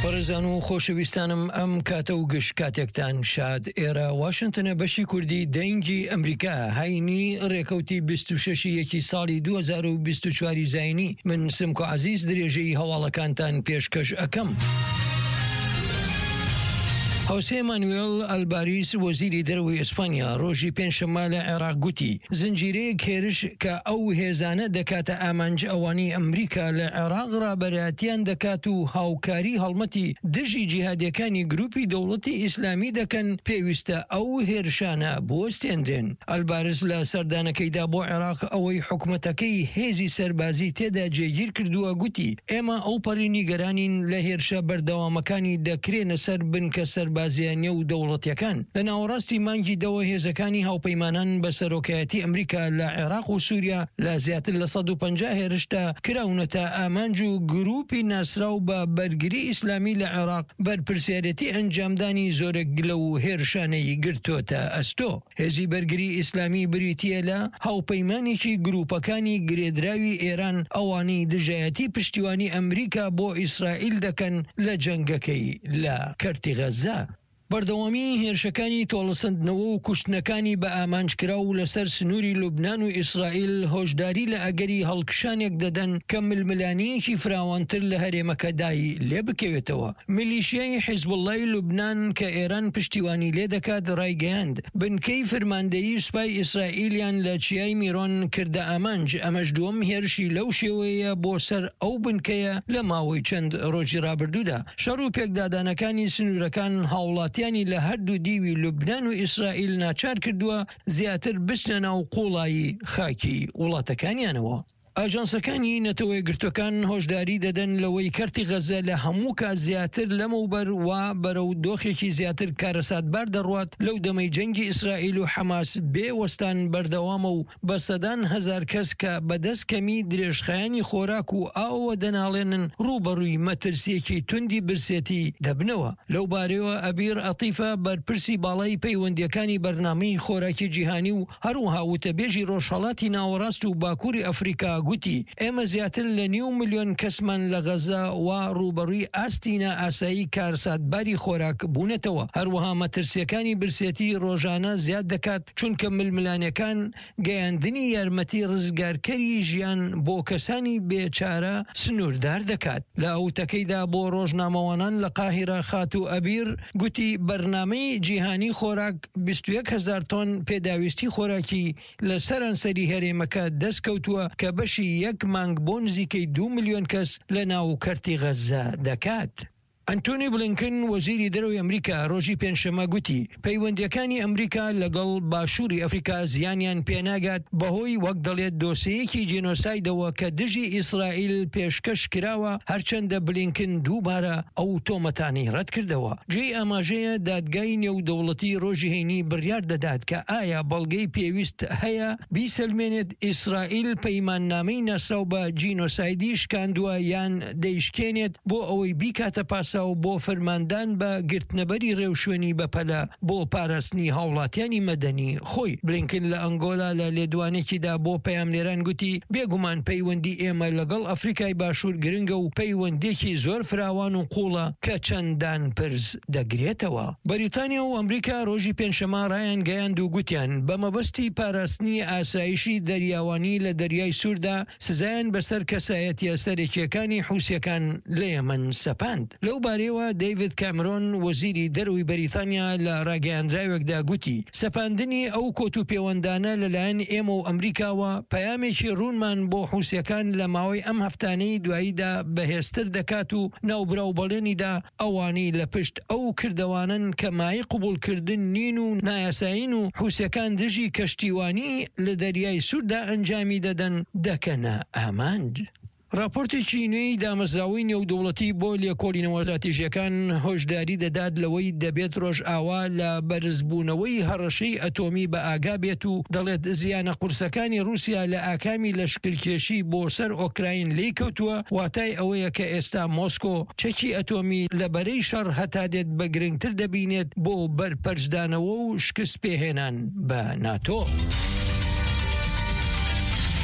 بەڕێزان و خۆشەویستانم ئەم کاتە و گشت کاتێکتان شاد ئێرە واشنتنە بەشی کوردی دەنگی ئەمریکا هەینی ڕێکەوتی 26 یەکی ساڵی 2024 زینی من سمکۆ عزیز درێژەی هەواڵەکانتان پێشکەش ئەکەم. هۆسێ مانوێل ئەلباریس وەزیری دەرەوەی ئیسپانیا ڕۆژی پێنجشەممە لە عێراق گوتی زنجیرەیەک هێرش کە ئەو هێزانە دەکاتە ئامانج ئەوانەی ئەمریکا لە عێراق ڕابەرایەتیان دەکات و هاوکاری هەڵمەتی دژی جیهادیەکانی گروپی دەوڵەتی ئیسلامی دەکەن پێویستە ئەو هێرشانە بوەستێنرێن. ئەلبارس لە سەردانەکەیدا بۆ عێراق ئەوەی حکومەتەکەی هێزی سەربازی تێدا جێگیر کردووە گوتی، ئێمە ئەوپەڕی نیگەرانین لە هێرشە بەردەوامەکانی دەکرێنە سەر بنکە سەربازییە نێودەوڵەتییەکان. لە ناوەڕاستی مانگی دەوە هێزەکانی هاوپەیمانان بە سەرۆکایەتی ئەمریکا لە عێراق و سوریا لە زیاتر لە 150 هێرشدا کراونەتە ئامانج و گروپی ناسراو بە بەرگری ئیسلامی لە عێراق بەرپرسیارێتی ئەنجامدانی زۆرێک لەو هێرشانەی گرتۆتە ئەستۆ. هێزی بەرگری ئیسلامی بریتییە لە هاوپەیمانێکی گروپەکانی گرێدراوی ئێران ئەوانەی دژایەتی پشتیوانی ئەمریکا بۆ ئیسرائیل دەکەن لە جەنگەکەی لە کەرتی غەززە. بەردەوامیی هێرشەکانی تۆڵەسەندنەوە و کوشتنەکانی بە ئامانجکراو لەسەر سنووری لوبنان و ئیسرائیل هۆشداری لە ئەگەری هەڵکشانێک دەدەن کە ململانێیەکی فراوانتر لە هەرێمەکەدای لێبکەوێتەوە. میلیشیای حیزبوڵڵای لوبنان کە ئێران پشتیوانی لێدەکات ڕایگەیاند، بنکەی فرماندەیی سوپای ئیسرائیلیان لە چیای میرۆن کردە ئامانج، ئەمەش دووەم هێرشی لەو شێوەیەیە بۆ سەر ئەو بنکەیە لە ماوەی چەند ڕۆژی ڕابردوودا. شەڕ و پێکدادانەکانی سنوورەکان هاوڵاتیانی لە هەردوو دیوی لوبنان و ئیسرائیل ناچار کردووە زیاتر بچنە ناو قووڵایی خاکی وڵاتەکانیانەوە. ئاژانسەکانی نەتەوەیەکگرتووەکان هۆشداری دەدەن لەوەی کەرتی غەززە لە هەموو کات زیاتر لەمەوبەر وا بەرەو دۆخێکی زیاتر کارەساتبار دەڕوات لەو دەمەی جەنگی ئیسرائیل و حەماس بێ وەستان بەردەوامە و بە سەدان هەزار کەس کە بەدەست کەمی درێژخایەنی خۆراک و ئاوەوە دەناڵێنن ڕووبەڕووی مەترسییەکی توندی برسێتی دەبنەوە. لەو بارەیەوە ئەبیر عەتیفە بەرپرسی باڵای پەیوەندییەکانی بەرنامەی خۆراکی جیهانی و هەروەها وتەبێژی ڕۆژهەڵاتی ناوەڕاست و باکووری ئەفریکا گوتی، ئێمە زیاتر لە نیو ملیۆن کەسمان لە غەززە وا ڕووبەڕووی ئاستی نائاسایی کارەساتباری خۆراک بوونەتەوە، هەروەها مەترسییەکانی برسێتی ڕۆژانە زیاد دەکات، چونکە ململانێکان گەیاندنی یارمەتی ڕزگارکەری ژیان بۆ کەسانی بێ چارە سنووردار دەکات. لە وتەکەیدا بۆ ڕۆژنامەوانان لە قاهیرە خاتوو ئەبیر گوتی، بەرنامەی جیهانی خۆراک 21 هەزار تۆن پێداویستی خۆراکی لە سەرانسەری هەرێمەکە دەستکەوتووە کە بەشی یەک مانگ بۆ نزیکەی دوو ملیۆن کەس لە ناو کەرتی غەززە دەکات. ئەنتۆنی بلینکن، وەزیری دەرەوەی ئەمریکا ڕۆژی پێنجشەممە گوتی، پەیوەندییەکانی ئەمریکا لەگەڵ باشووری ئەفریکا زیانیان پێناگات بەهۆی وەک دەڵێت دۆسێیەکی جینۆسایدەوە کە دژی ئیسرائیل پێشکەش کراوە، هەرچەندە بلینکن دووبارە ئەو تۆمەتانەی ڕەتکردەوە. جێی ئاماژەیە دادگای نێودەوڵەتی ڕۆژی هەینی بڕیار دەدات کە ئایا بەڵگەی پێویست هەیە بیسەلمێنێت ئیسرائیل پەیماننامەی ناسراو بە جینۆسایدی شکاندووە یان دەیشکێنێت بۆ ئەوەی بیکاتە پاساو بۆ فەرماندان بە گرتنەبەری ڕێوشوێنی بەپەلە بۆ پاراستنی هاوڵاتیانی مەدەنی خۆی. بلینکن لە ئەنگۆلا لە لێدوانێکیدا بۆ پەیامنێران گوتی، بێگومان پەیوەندی ئێمە لەگەڵ ئەفریکای باشوور گرنگە و پەیوەندییەکی زۆر فراوان و قووڵە کە چەندان پرس دەگرێتەوە. بەریتانیا و ئەمریکا ڕۆژی پێنجشەممە ڕایانگەیاند و گوتیان، بە مەبەستی پاراستنی ئاسایشی دەریاوانی لە دەریای سووردا، سزایان بەسەر کەسایەتییە سەرەکییەکانی حوسییەکان لە یەمەن سەپاند. لەو بارەیەوە دەیڤد کامرۆن، وەزیری دەرەوەی بەریتانیا لە ڕاگەیاندراوێکدا گوتی، سەپاندنی ئەو کۆت و پێوەندانە لەلایەن ئێمە و ئەمریکاوە، پەیامێکی ڕوونمان بۆ حوسییەکان لە ماوەی ئەم هەفتانەی دواییدا بەهێزتر دەکات و ناوبراو بەڵێنی دا ئەوانەی لە پشت ئەو کردەوانەن کە مایەی قبوڵکردن نین و نایاسایین و حوسیەکان دژی کەشتیوانی لە دەریای سووردا ئەنجامی دەدەن دەکەنە ئامانج. ڕاپۆرتێکی نوێی دامەزراوەی نێودەوڵەتی بۆ لێکۆڵینەوە ستراتیژییەکان هۆشداری دەدات لەوەی دەبێت ڕۆژئاوا لە بەرزبوونەوەی هەڕەشەی ئەتۆمی بەئاگا بێت و دەڵێت زیانە قورسەکانی ڕووسیا لە ئاکامی لەشکرکێشی بۆ سەر ئۆکراین لێیکەوتووە واتای ئەوەیە کە ئێستا مۆسکۆ چەکی ئەتۆمی لە بەرەی شەڕ هەتا دێت بە گرنگتر دەبینێت بۆ بەرپەرچدانەوە و شکست پێهێنان بە ناتۆ.